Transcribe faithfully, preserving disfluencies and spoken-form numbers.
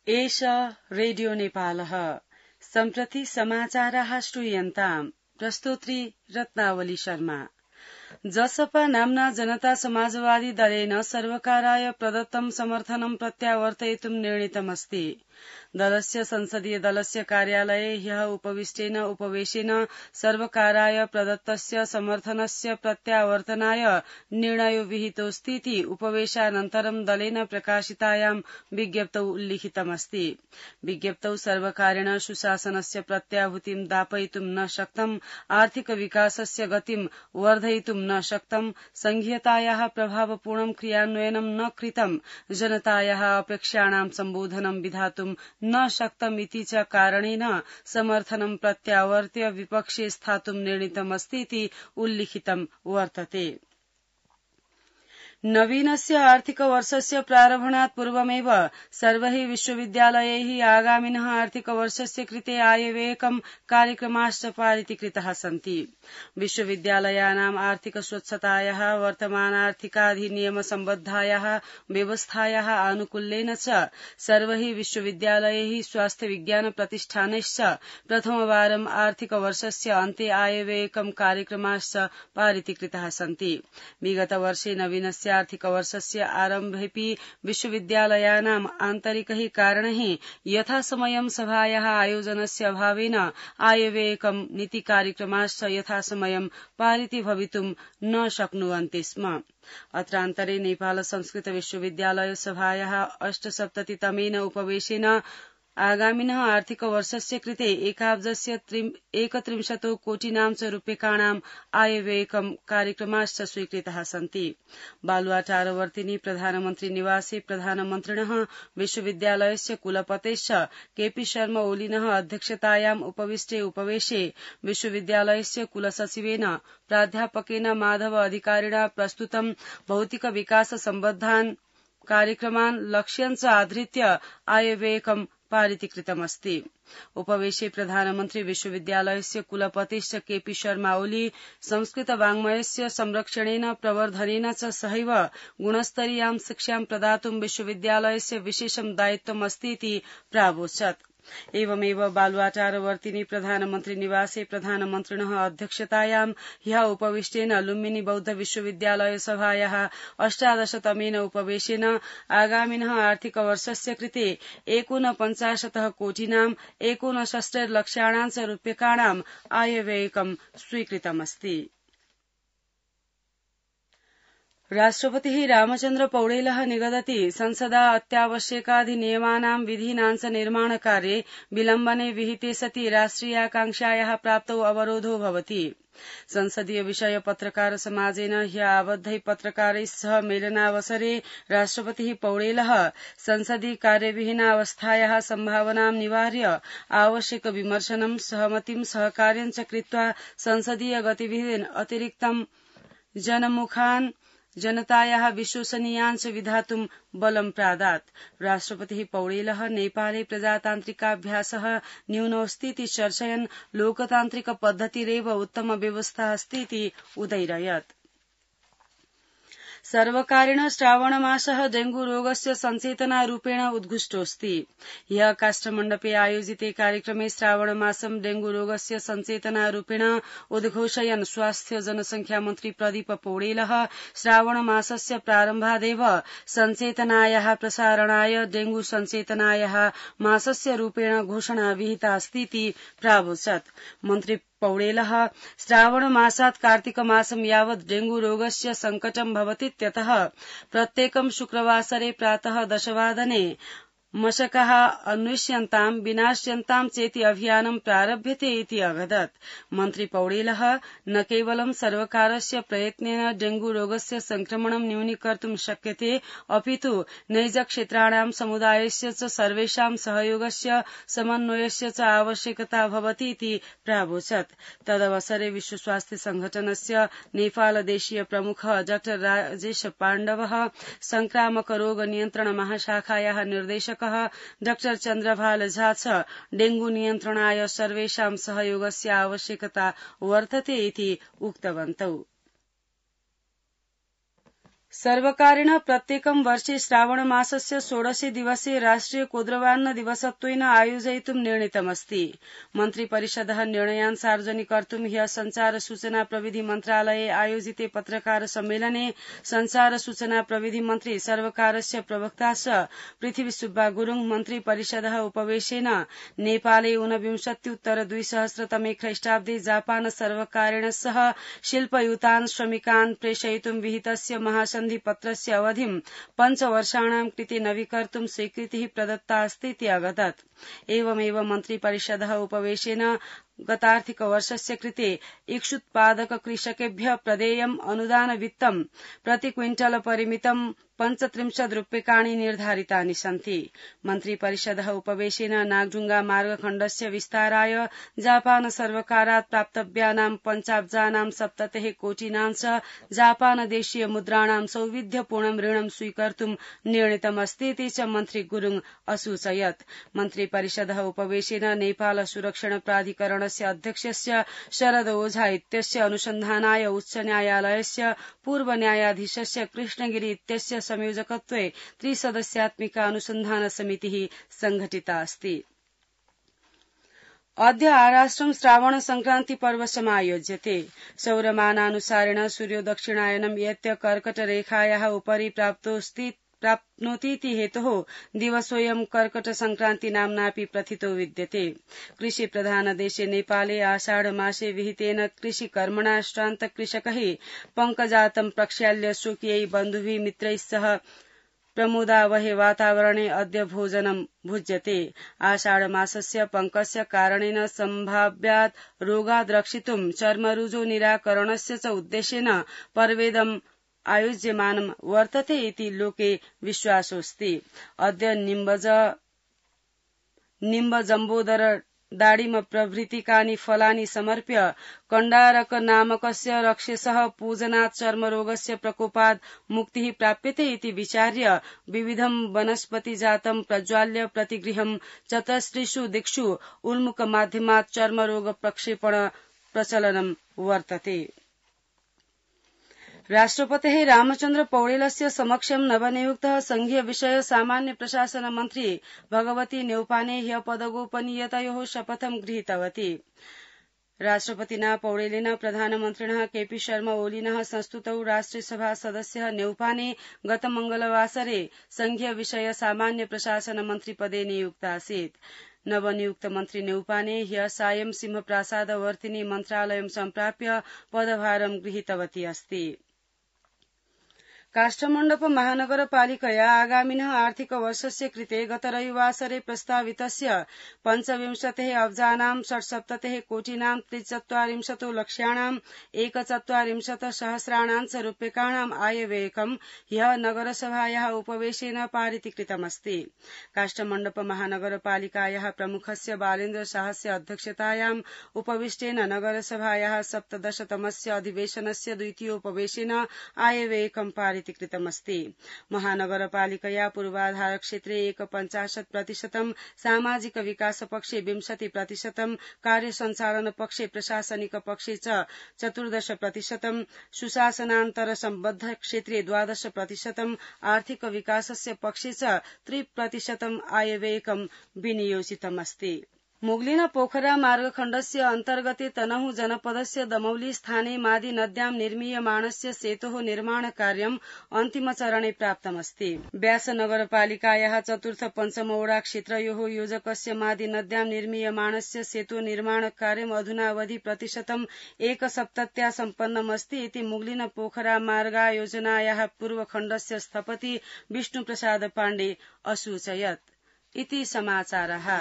एष रेडियो नेपालः सम्प्रति समाचाराः श्रूयन्ताम् प्रस्तोत्री रत्नावली शर्मा। जसपा नाम्ना जनता समाजवादी दलेन सर्वकाराय प्रदत्तं समर्थनं प्रत्यावर्तयितुं निर्णीतमस्ति। दलस्य संसदीय दलस्य कार्यालये ह्यः उपविष्टेन उपवेशेन सर्वकाराय प्रदत्तस्य समर्थनस्य प्रत्यावर्तनाय निर्णयो विहितोऽस्तीति उपवेशानन्तरं दलेन प्रकाशितायां विज्ञप्तौ उल्लिखितमस्ति। विज्ञप्तौ सर्वकारेण सुशासनस्य प्रत्याभूतिं दापयितुं न शक्तं, आर्थिक विकासस्य गतिं वर्धयितुं न शक्तं, संघीयतायाः प्रभावपूर्णं क्रियान्वयनं न कृतं, जनतायाः अपेक्षाणां सम्बोधनं विधातुं न शक्तमिति च कारणेन समर्थनं प्रत्यावर्त्य विपक्षे स्थातुं निर्णीतमस्तीति उल्लिखितं वर्तते। नवीनस्य आर्थिकवर्षस्य प्रारम्भणात् पूर्वमेव सर्वैः विश्वविद्यालयैः आगामिनः आर्थिकवर्षस्य कृते आयव्ययकं कार्यक्रमाश्च पारितीकृताः सन्ति। विश्वविद्यालयानाम् आर्थिक स्वच्छतायाः वर्तमानार्थिकाधिनियमसम्बद्धायाः व्यवस्थायाः आनुकूल्येन च सर्वैः विश्वविद्यालयैः स्वास्थ्य विज्ञान प्रतिष्ठानैश्च प्रथमवारम् आर्थिकवर्षस्य अन्ते आयव्ययकं कार्यक्रमाश्च पारितीकृताः सन्ति। विगतवर्षे नवीनस्य आर्थिकवर्षस्य आरम्भेऽपि विश्वविद्यालयानाम् आन्तरिकैः कारणैः यथासमयं सभायाः आयोजनस्य अभावेन आयव्ययकं नीतिकार्यक्रमाश्च यथासमयं पारिती भवितुं न शक्नुवन्ति स्म। अत्रान्तरे नेपाल संस्कृत विश्वविद्यालय सभायाः अष्टसप्ततितमेन उपवेशेन आगामिनः आर्थिकवर्षस्य कृते एकाब्जस्य एकत्रिंशतो कोटिनां च रूप्यकाणाम् आयव्ययकं कार्यक्रमाश्च स्वीकृताः सन्ति। बालुवाटारवर्तिनि प्रधानमन्त्री निवासे प्रधानमन्त्रिणः विश्वविद्यालयस्य कुलपतेश्च केपी शर्मा ओलिनः अध्यक्षतायाम् उपविष्टे उपवेशे विश्वविद्यालयस्य कुलसचिवेन प्राध्यापकेन माधव अधिकारिणा प्रस्तुतं भौतिक विकास सम्बद्धान् कार्यक्रमान् लक्ष्यं च आधृत्य आयव्ययकं पारितीकृतमस्ति। उपवेशे प्रधानमन्त्री विश्वविद्यालयस्य कुलपतिश्च केपी शर्मा ओली संस्कृत वाङ्मयस्य संरक्षणेन प्रवर्धनेन च सहैव गुणस्तरीयां शिक्षां प्रदातुं विश्वविद्यालयस्य विशेषं दायित्वमस्तीति प्रावोचत्। एवमेव बालुवाटारवर्तिनि प्रधानमन्त्री निवासे प्रधानमन्त्रिणः अध्यक्षतायां ह्यः उपविष्टेन लुम्बिनी बौद्ध विश्वविद्यालय सभायाः अष्टादशतमेन उपवेशेन आगामिनः आर्थिकवर्षस्य कृते एकोनपञ्चाशतः कोटिनाम् एकोनषष्टिर्लक्षाणां च रूप्यकाणाम् आयव्ययकं स्वीकृतमस्ति। राष्ट्रपतिः रामचन्द्र पौडेलः निगदति संसदा अत्यावश्यकाधिनियमानां विधीनां च निर्माणकार्ये विलम्बने विहिते सति राष्ट्रियाकांक्षायाः प्राप्तौ अवरोधो भवति। संसदीय विषय पत्रकार समाजेन ह्यः आबद्धै पत्रकारैः सह मेलनावसरे राष्ट्रपतिः पौडेलः संसदि कार्यविहीनावस्थायाः सम्भावनां निवार्य आवश्यक विमर्शनं सहमतिं सहकार्यं च कृत्वा संसदीय गतिविधीन् अतिरिक्तं जनमुखान् जनतायाः विश्वसनीयान् च विधातुं बलं प्रादात्। राष्ट्रपतिः पौडेलः नेपाले प्रजातान्त्रिकाभ्यासः न्यूनोऽस्तीति चर्चयन् लोकतान्त्रिक पद्धतिरेव उत्तम व्यवस्था अस्तीति उदैरयत्। सर्वकारेण श्रावणमासः डेंगू रोगस्य सचेतनारूपेण उद्घुष्टोऽस्ति। ह्यः काष्ठमण्डपे आयोजिते कार्यक्रमे श्रावणमासं डेंगू रोगस्य सचेतनारूपेण उद्घोषयन् स्वास्थ्य जनसंख्या मन्त्री प्रदीप पौडेलः श्रावणमासस्य प्रारम्भादेव सचेतनायाः प्रसारणाय डेंगू सचेतनायाः मासस्य रूपेण घोषणा विहिता अस्तीति प्रावोचत्। मन्त्री पौडेलः श्रावणमासात् कार्तिकमासं यावत् डेंगू रोगस्य संकटं भवतीत्यतः प्रत्येकं शुक्रवासरे प्रातः दशवादने मशकाः अन्विष्यन्तां विनाश्यन्तां चेति अभियानं प्रारभ्यते इति अवदत्। मन्त्री पौडेलः न केवलं सर्वकारस्य प्रयत्नेन डेंगू रोगस्य संक्रमणं न्यूनीकर्तुं शक्यते, अपितु नैजक्षेत्राणां समुदायस्य च सर्वेषां सहयोगस्य समन्वयस्य च आवश्यकता भवति इति प्रावोचत्। तदवसरे विश्व स्वास्थ्य संघटनस्य नेपालदेशीय प्रमुखः डाक्टर राजेश पाण्डवः, संक्रामक रोग नियन्त्रण महाशाखायाः निर्देशक डाक्टर चन्द्रभाल झा च डेंगू नियन्त्रणाय सर्वेषां सहयोगस्य आवश्यकता वर्तते इति उक्तवन्तौ। सर्वकारेण प्रत्येकं वर्षे श्रावणमासस्य षोडशे दिवसे राष्ट्रिय कोद्रवान्न दिवसत्वेन आयोजयितुं निर्णीतमस्ति। मन्त्रिपरिषदः निर्णयान् सार्वजनिकर्तुं ह्यः संचार सूचना प्रविधि मन्त्रालये आयोजिते पत्रकार सम्मेलने संचार सूचना प्रविधि मन्त्री सर्वकारस्य प्रवक्ता च पृथ्वी सुब्बा गुरुङ मन्त्रिपरिषदः उपवेशेन नेपाले ऊनविंशत्युत्तर द्विसहस्रतमे ख्रीष्टाब्दे जापान सर्वकारेण सह शिल्पयुतान् श्रमिकान् प्रेषयितुं विहितस्य महासन्धि पत्रस्य अवधिं पञ्चवर्षाणां कृते नवीकर्तुं स्वीकृतिः प्रदत्ता अस्ति इति अवदत्। एवमेव मन्त्रिपरिषदः उपवेशेन गतार्थिकवर्षस्य कृते इक्षुत्पादक कृषकेभ्यः प्रदेयम् अनुदान वित्तं प्रति क्विंटल परिमितं पञ्चत्रिंशत् रूप्यकाणि निर्धारितानि सन्ति। मन्त्रिपरिषदः उपवेशेन नागडुंगा मार्गखण्डस्य विस्ताराय जापान सर्वकारात् प्राप्तव्यानां पञ्चाब्जानां सप्ततिः कोटिनां च जापान देशीय मुद्राणां सौविध्यपूर्णं ऋणं स्वीकर्तुं निर्णीतमस्ति इति च मन्त्री गुरुङ असूचयत्। मन्त्रिपरिषदः उपवेशेन नेपाल सुरक्षण प्राधिकरणस्य अध्यक्षस्य शरद ओझा इत्यस्य अनुसन्धानाय उच्च न्यायालयस्य पूर्व न्यायाधीशस्य कृष्णगिरी इत्यस्य संयोजकत्वे त्रिसदस्यात्मिका अनुसन्धान समितिः संघटिता अस्ति। अद्य आराष्ट्रं श्रावण संक्रांति पर्व समायोज्यते। सौरमानानुसारेण सूर्यो दक्षिणायनं यत्य कर्कटरेखायाः उपरि प्राप्तोऽस्ति प्राप्नोतीति हेतोः दिवसोऽयं कर्कट संक्रांति नाम्नापि प्रथितो विद्यते। कृषि प्रधान देशे नेपाले आषाढ़ मासे विहितेन कृषि कर्मणा श्रान्त कृषकैः पङ्कजातं प्रक्षाल्य स्वकीयै बन्धुभिः मित्रैः सह प्रमोदावहे वातावरणे अद्य भोजनं भुज्यते। आषाढ़ मासस्य पङ्कस्य कारणेन सम्भाव्यात् रोगात् रक्षितुं चर्मरुजो निराकरणस्य च उद्देशेन पर्वेदम् आयोज्यमानं वर्तते इति लोके विश्वासोऽस्ति। अद्य निम्बज निम्बजम्बोदर दाडिम प्रभृतिकानि फलानि समर्प्य कण्डारक नामकस्य रक्षसः पूजनात् चर्मरोगस्य प्रकोपात् मुक्तिः प्राप्यते इति विचार्य विविधं वनस्पतिजातं प्रज्वाल्य प्रतिगृहं चतस्त्रिषु दिक्षु उन्मुखमाध्यमात् चर्मरोग प्रक्षेपण प्रचलनं वर्तते। राष्ट्रपतेः रामचन्द्र पौडेलस्य समक्षं नवनियुक्तः संघीय विषय सामान्य प्रशासन मन्त्री भगवती न्यौपाने ह्यः पदगोपनीयतयोः शपथं गृहीतवती। राष्ट्रपतिना पौडेलेन प्रधानमन्त्रिणः केपी शर्मा ओलीनः संस्तुतौ राष्ट्रियसभा सदस्यः न्यौपाने गत मंगलवासरे संघीय विषय सामान्य प्रशासन मन्त्रिपदे नियुक्तासीत्। नवनियुक्त मन्त्री न्यौपाने ह्यः सायं सिंहप्रासादवर्तिनी मन्त्रालयं सम्प्राप्य पदभारं गृहीतवती अस्ति। काष्ठमण्डप महानगरपालिकया आगामिनः आर्थिकवर्षस्य कृते गत रविवासरे प्रस्तावितस्य पञ्चविंशतिः अब्जानां षट्सप्ततिः कोटिनां त्रिचत्वारिंशतो लक्ष्याणाम् एकचत्वारिंशत् सहस्राणां च रूप्यकाणाम् आयव्ययकं ह्यः नगरसभायाः उपवेशेन पारितीकृतमस्ति। काष्ठमण्डप महानगरपालिकायाः प्रमुखस्य बालेन्द्र शाहस्य अध्यक्षतायाम् उपविष्टेन नगरसभायाः सप्तदशतमस्य अधिवेशनस्य द्वितीयोपवेशेन आयव्ययकं पारित कृतमस्ति। महानगरपालिकया पूर्वाधार क्षेत्रे एकपञ्चाशत् प्रतिशतं सामाजिक विकास पक्षे विंशति प्रतिशतं कार्यसञ्चालन पक्षे प्रशासनिक पक्षे च चतुर्दश प्रतिशतं सुशासनान्तर सम्बद्ध क्षेत्रे द्वादश प्रतिशतं आर्थिक विकासस्य पक्षे च त्रिप्रतिशतं आयव्ययकं विनियोजितमस्ति। मुगलिन पोखरा मार्गखण्डस्य अन्तर्गते तनहु जनपदस्य दमौली स्थाने मादी नद्यां निर्मीयमाणस्य सेतोः निर्माणकार्यम् अन्तिमचरणे प्राप्तमस्ति। व्यास नगरपालिकायाः चतुर्थ पञ्चमवडा क्षेत्रयोः योजकस्य मादी नद्यां निर्मीयमाणस्य सेतो निर्माणकार्यम् अधुनावधि प्रतिशतम् एकसप्तत्या सम्पन्नमस्ति इति मुगलिन पोखरा मार्गायोजनायाः पूर्वखण्डस्य स्थपति विष्णुप्रसाद पाण्डे असूचयत्। इति समाचारः।